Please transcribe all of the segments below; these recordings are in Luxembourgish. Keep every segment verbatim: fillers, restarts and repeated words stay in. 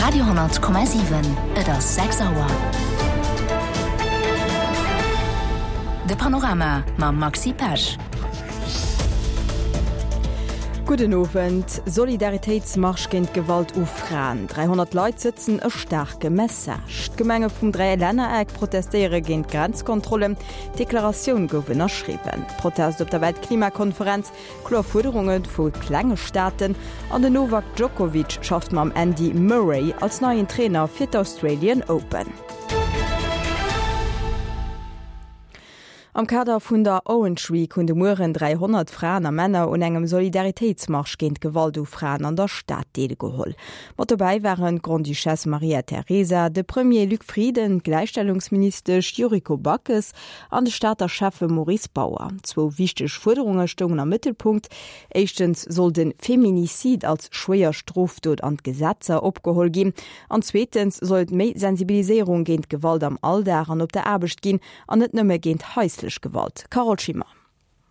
Radio honnert Komma siwen, Et ass sechs Auer. De Panorama mam Maxi Pesch. Gudden Owend. Solidaritéitsmarsch géint Gewalt u Fraen, dräihonnert Leit sëtzen e staarke Message. D'Gemenge vum Dräilännereck protestéiere géint Grenzkontrollen, Deklaratioun gouf ënnerschriwwen. Protest op der Weltklimakonferenz, kloer Fuerderunge vu klenge Staaten an den Novak Djokovic schafft mam Andy Murray als neien Trainer fir d'Australian Open. Am Kader vun der Orange Week hunn de Mueren dräihonnert Fraen a Männer un engem Solidaritéitsmarsch géint Gewalt u Fraen an der Stad deelgeholl. Mat dobäi waren d'Grande-Duchesse Maria Teresa, de Premier Luc Frieden, d'Gläichstellungsministesch Yuriko Backes an de Stater Schäffe Maurice Bauer. Zwou wichteg Fuerderunge stoungen am Mëttelpunkt, Éischtens soll de Feminicide als schwéier Strofdot an d'Gesetzer opgeholl ginn an zweetens soll et méi Sensibiliséierung géint Gewalt am Alldag an op der Aarbecht ginn an net nëmme géint haislech Gewalt. Carole Schimmer.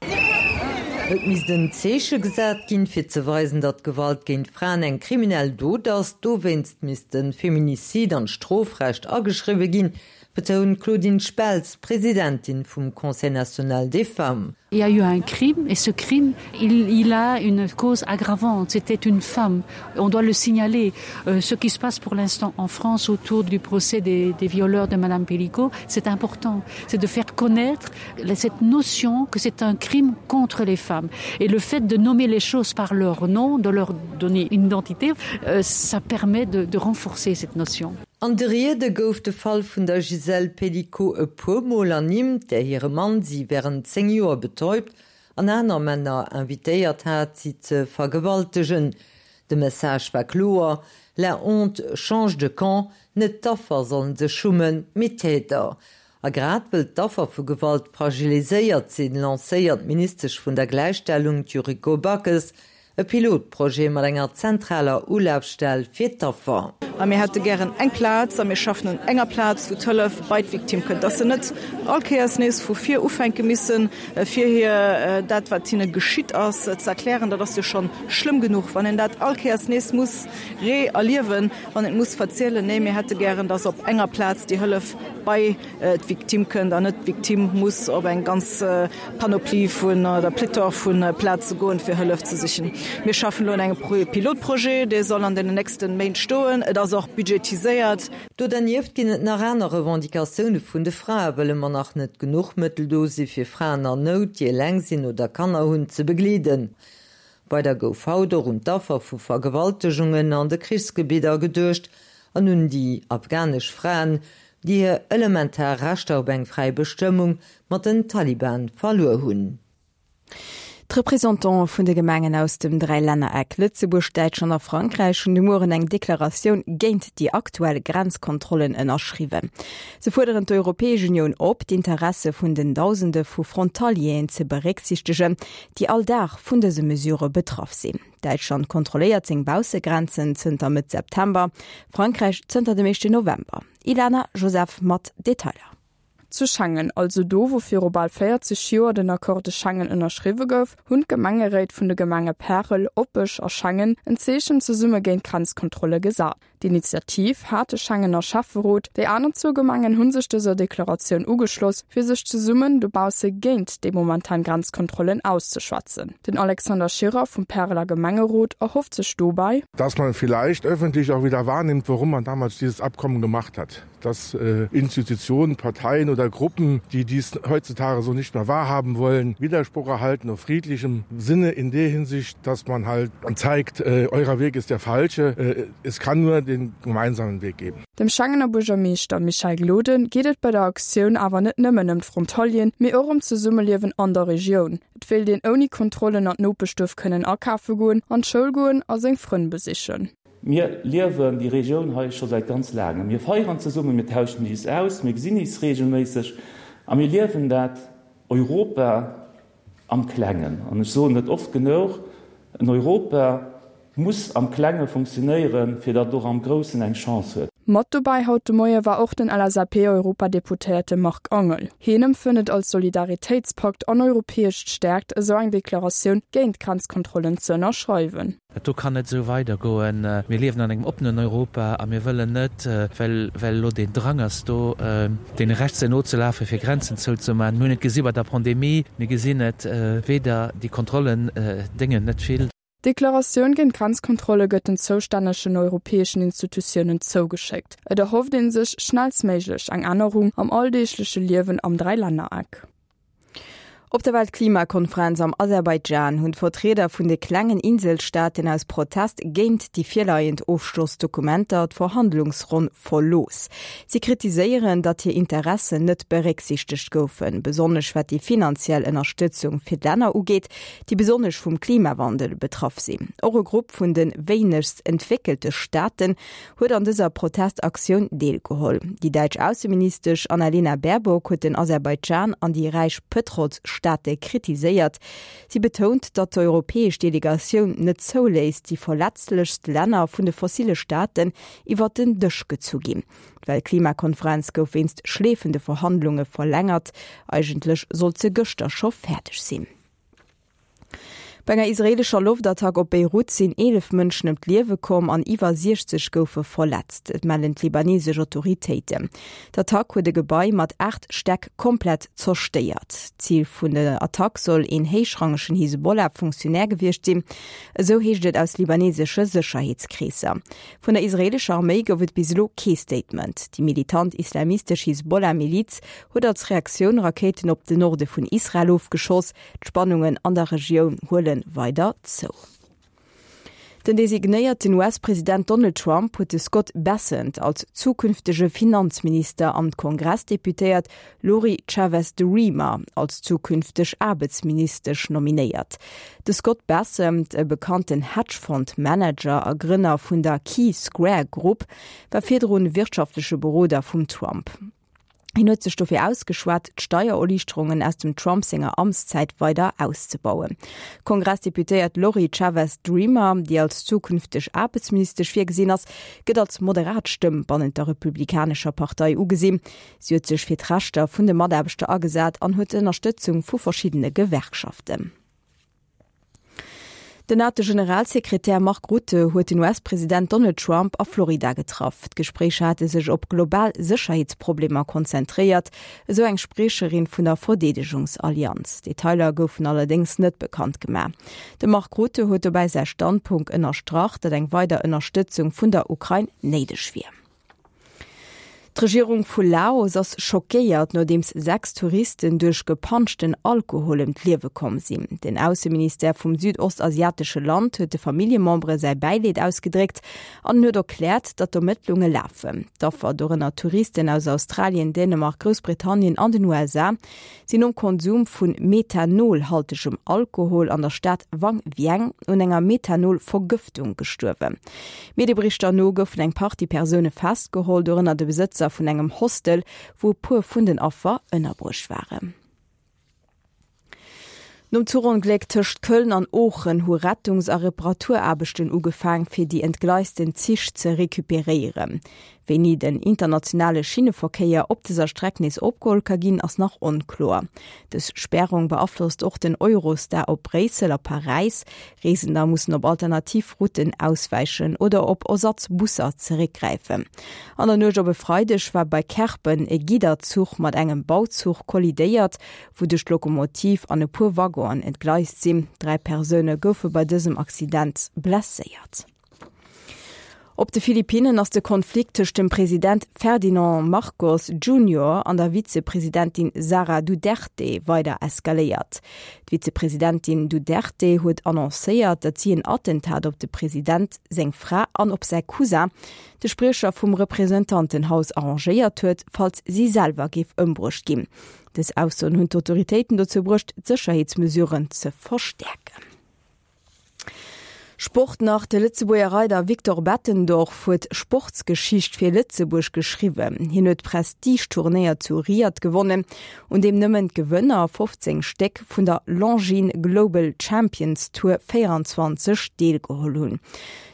Et misst en Zeeche gesat ginn, fir ze weisen, datt Gewalt géint Fraen eng kriminell Dot ass. Dowéinst misst de Feminicide an d'Strofrecht ageschriwwe ginn, betount d'Claudine Speltz, Presidentin vum Conseil national des femmes. Il y a eu un crime et ce crime, il, il a une cause aggravante, c'était une femme. On doit le signaler. Euh, ce qui se passe pour l'instant en France autour du procès des, des violeurs de Madame Pellico, c'est important. C'est de faire connaître cette notion que c'est un crime contre les femmes. Et le fait de nommer les choses par leur nom, de leur donner une identité, euh, ça permet de, de renforcer cette notion. An de Riede gouf de Fall vun der Gisèle Pelicot e puer Mol ernimmt, där hire Mann si wärend zéng Joer betäubt an aner Männer invitéiert hat, si ze vergewaltegen. De Message war kloer, La honte change de camp, net d'Affer sollen sech schummen, mee d'Täter. A grad wëll d'Affer vu Gewalt fragiliséiert sinn, lancéiert d'Ministesch vun der Gläichstellung, d'Yuriko Backes, E Pilotprojet mat enger zentraler Ulafstell fir d'Affer. A mir hätte gären eng Plaz, a mir schaffen un enger Plaz, wou d'Hëllef bei d'Victime kënnt, dass se net all Kéiers nees vu vir ufänke missen, fir hir dat, wat hinne geschitt ass, ze erklären. Dat ass jo scho schlëmm genuch, wann een dat all Kéiers nees muss re-erliewen, wann een et muss verzielen. Nee, mir hätte gären, dass op enger Plaz déi Hëllef bei d'Victime kënnt an net d'Victime muss op eng ganz Panoplie vun oder Pléthore vu Plaze goen, fir Hëllef ze sichen. Mir schaffen elo un engem Pilotprojet, dee soll an den nächste Méint stoen. Et ass och budgetiséiert. Do dernieft ginn et nach aner Revendicatioune vun de Frae, wëll ëmmer nach net genuch Mëttel do si fir Fraen an Nout, déi eleng sinn oder Kanner hunn, ze begleeden. Weider gouf haut och un d'Affer vu Vergewaltegungen an de Krichsgebidder geduecht an un déi afghanesch Fraen, déi hir elementar Rechter op eng fräi Bestëmmung mat den Taliban verluer hunn. D'Representante vun de Gemengen aus dem Dräilännereck Lëtzebuerg, Däitschland a Frankräich hunn de Mueren eng Deklaratioun géint déi aktuell Grenzkontrollen ënnerschriwwen. Se fuerderen d'Europäesch Unioun op, d'Interesse vun den Dausende vu Frontalieren ze berécksiichtegen, déi all Dag vun dëse Mesurë betraff sinn. Däitschland kontrolléiert seng Baussegrenzen zënter Mëtt September, Frankräich zënter dem éischten November. Ilana Joseph mat Detailer. Zu Schengen, also do wou viru bal véierzeg Joer den Accord de Schengen ënnerschriwwe gouf, hunn d'Gemengeréit vun de Gemenge Pärel, Opech a Schengen en Zeechen zesumme géint d'Grenzkontrolle gesat. D'Initiativ hat de Schengener Schäfferot, déi aner zwou Gemengen hu sech dëser Deklaratioun ugeschloss, fir sech zesummen dobausse géint déi momentan Grenzkontrollen auszeschwätzen. Den Alexander Schirrer vum Päreler Gemengerot erhofft sech dobäi, Dass man vielleicht öffentlich auch wieder wahrnimmt, warum man damals dieses Abkommen gemacht hat. Dass Institutionen, Parteien oder Gruppen, die dies heutzutage so nicht mehr wahrhaben wollen, Widerspruch erhalten auf friedlichem Sinne in der Hinsicht, dass man halt zeigt, eurer Weg ist der falsche, es kann nur den gemeinsamen Weg geben. Dem Schengener Buergermeeschter Michel Gloden geet et bei der Aktioun awer net nëmmen ëm d'Frontalieren, mee och ëm d'Zesummeliewen an der Regioun. Et wéilt een ouni Kontrollen an d'Nopeschduerf kënnen akafe goen, an d'Schoul goen a seng Frënn besichen. Mir liewen déi Regioun hei scho säit ganz laangem. Mir feieren zesummen, mir tauschen is aus, mir gesinn is reegelméisseg a mir liewen dat Europa am Klengen. An ech soen et oft genuch, en Europa muss am Klenge funktionéieren, fir datt et och am Groussen eng Chance huet. Mat dobäi haut de Moie war och den L S A P-Europadeputéierte Marc Angel. Hien empfënnt et als Solidaritéitspakt an europäesch Stäerkt, esou eng Deklaratioun géint d'Grenzkontrollen ze ënnerschreiwen. Dat do kann net esou weidergoen. Mir liewen an engem oppenen Europa a mir wëllen net, well well elo deen Drang ass do, deene Rechtsen nozelafen, fir Grenzen zouzemaachen. Mir hunn et gesi bei der Pandemie, mir gesinn et weder, déi Kontrollen déngen net vill. D'Deklaratioun géint d'Grenzkontrolle gëtt den zoustännegen europäeschen Institutiounen zougeschéckt. Et erhofft ee sech schnellstméiglech eng Ännerung am alldeegleche Liewen am Dräilännereck. Op der Weltklimakonferenz am Aserbaidschan hunn d'Vertrieder vun de klengen Inselstaaten aus Protest géint déi virleiend Ofschlossdokumenter d'Verhandlungsronn verlooss. Si kritiséieren, datt hir Interessen net berécksiichtegt goufen, besonnesch wat déi finanziell Ënnerstëtzung fir d'Länner ugeet, déi besonnesch vum Klimawandel betraff sinn. Och e Grupp vun de wéinegst entwéckelte Staaten huet an dëser Protestaktioun deelgeholl. Déi däitsch Ausseministesch Annalena Baerbock huet den Aserbaidschan an déi räich Pëtrolsstaate kritiséiert. Si betount, datt d'europäesch Delegatioun net zouléisst, déi verletzlechst Länner vun de fossille Staaten iwwer den Dësch gezu ginn. D'Weltklimakonferenz gouf wéinst schleefende Verhandlunge verlängert. Eigentlech sollt se gëschter scho fäerdeg sinn. Bei enger israeelescher Loftattack op Beirut sinn eelef Mënschen ëm d'Liewe komm an iwwer siechzeg goufe verletzt, dat mellen d'libanesesch Autoritéiten. D'Attack huet e Gebai mat aacht Stäck komplett zerstéiert. Zil vun der Attack soll een héichrangegen Hisbollah-Funktionär gewiescht sinn, esou heescht et aus libanesesche Sécherheetskreesser. Vun der israeelescher Arméi gouf et bis elo kee Statement. Déi militant islamistesch Hisbollah-Miliz huet als Reaktioun Rakéiten op den Norde vun Israel ofgeschoss. D'Spannungen an der Regioun huele weider zou. Den designéierten U S-President Donald Trump huet de Scott Bessent als zukünftege Finanzminister an d'Kongressdeputéiert Lori Chavez-DeRemer als zukünfteg Aarbechtsministesch nominéiert. De Scott Bessent, e bekannten Hedgefonds-Manager a Grënner vun der Key Square Group, war virdrun wirtschaftleche Beroder vum Trump. Hien huet sech dofir ausgeschwat, d'Steiererliichterungen aus dem Trump senger Amtszäit weider auszebauen. D'Kongressdeputéiert Lori Chavez-DeRemer, déi als zukünfteg Aarbechtsministesch virgesinn ass, gëtt als moderat Stëmm bannent der Republikanescher Partei ugesinn. Si huet sech fir d'Rechter vun de Mataarbechter agesat an huet d'Ënnerstëtzung vu verschiddene Gewerkschaften. Den NATO-Generalsekretär Mark Rutte huet den U S-President Donald Trump a Florida getraff. D'Gespréicher hate sech op global Sécherheetsproblemer konzentréiert, esou eng Spriecherin vun der Verdeedegungsallianz. Detailer goufen allerdéngs net bekannt gemaach. De Mark Rutte huet dobäi säi Standpunkt ënnerstrach, datt eng weider Ënnerstëtzung vun der Ukrain néideg wier. D'Regierung vu Laos ass schockéiert, nodeems sechs Touristen duerch gepanschten Alkohol ëm d'Liewe komm sinn. Den Ausseministère vum südostasiatesche Land huet de Familljemembere säi Bäileed ausgedréckt an huet erkläert, datt Ermëttlunge lafen. D'Affer, dorënner Touristen aus Australien, Dänemark, Groussbritannien an den U S A, sinn nom Konsum vu methanolhaltegem Alkohol an der Stad Vang Vieng un enger Methanolvergëftung gestuerwen. Medieberichter no goufen eng Partie Persoune festgeholl, dorënner de Besëtzer vun engem Hostel, wou e puer vun den Affer ënnerbruecht waren. Nom Zuchongléck tëscht Köln an Oochen hu Rettungs a Reparaturaarbechten ugefaang fir déi entgleisten Zich ze recuperéieren. Wéini den internationale Schinneverkéier op dëser Streck nees opgeholl ka ginn, ass nach onkloer. Dës Spärung beaflosst och den Eurostar op Bréissel a Paräis. Reesender mussen op alternativ Routen auswäichen oder op Ersatzbusser zeréckgräifen. An der Nuecht op e Freideg war bei Kerpen e Gidderzuch mat engem Bauzuch kollidéiert, wouduerch d'Lokomotiv an e puer Waggonen entgleist sinn. Dräi Persoune goufe bei dësem Accident blesséiert. Op de Philippinnen ass de Konflikt tëscht dem President Ferdinand Marcos Junior an der Vizepresidentin Sara Duterte weider eskaléiert. D'Vizepresidentin Duterte huet annoncéiert, datt si en Attentat op de President, seng Fra an op säi Cousin, de Spriecher vum Representantenhaus arrangéiert huet, falls si selwer géif ëmbruecht ginn. Dës Aussoen hunn d'Autoritéiten dozou bruecht, d'Sécherheetsmesuren ze verstäerken. Sport nach, De Lëtzebuerger Reider Victor Bettendorf huet Sportsgeschicht fir Lëtzebuerg geschriwwen. Hien huet d'Prestige-Turnéier zu Riyadh gewonnen, un deem nëmmen d'Gewënner, fofzéng Stéck, vun der Longines Global Champions Tour véierundzwanzeg deelgeholl hunn.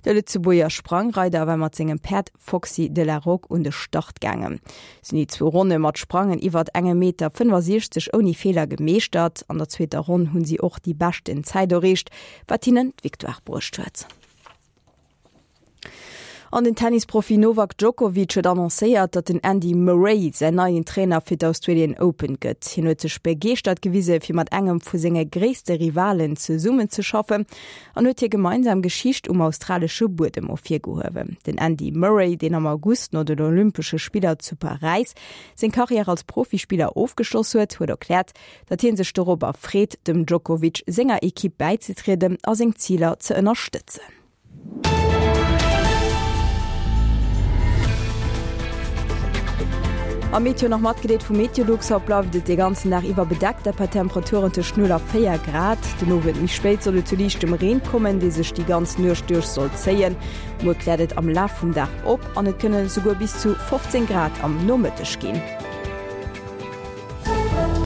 De Lëtzebuerger Sprangreider war mat sengem Päerd Foxy de la Roque un de Start gaangen. Si hunn déi zwou Ronne mat Sprangen iwwert engem Meter fënnefasiechzeg ouni Feeler gemeeschtert. An der zweeter Ronn hunn si och déi beschten Zäit erreecht, wat hinnen d'Victoire bruecht huet. An den Tennisprofi Novak Djokovic huet annoncéiert, datt den Andy Murray säin neien Trainer fir d'Australian Open gëtt. Hien huet sech begeeschtert gewise fir mat engem vu senge gréisste Rivalen zesummenzeschaffen an huet hir gemeinsam Geschicht um australesche Buedem ervirgehuewen. Den Andy Murray, deen am August no den Olympesche Spiller zu Paräis seng Karriär als Profispiller ofgeschloss huet, huet erkläert, datt hie sech dorobber freet, dem Djokovic senger Ekipp bäizetrieden a seng Ziler ze ënnerstëtzen. A Meteo nach matgedeelt vu Meteolux, Haut bleift et de ganzen Dag iwwer bedeckt, dat bei Temperaturen tëscht null a véier Grad. Den Owend méi spéit soll et zu liichtem Reen kommen, dee sech déi ganz Nuecht duerch soll zéien. Muer kläert et am Laf vum Dag op an et kënne souguer bis zu fofzéng Grad am Nomëtteg ginn.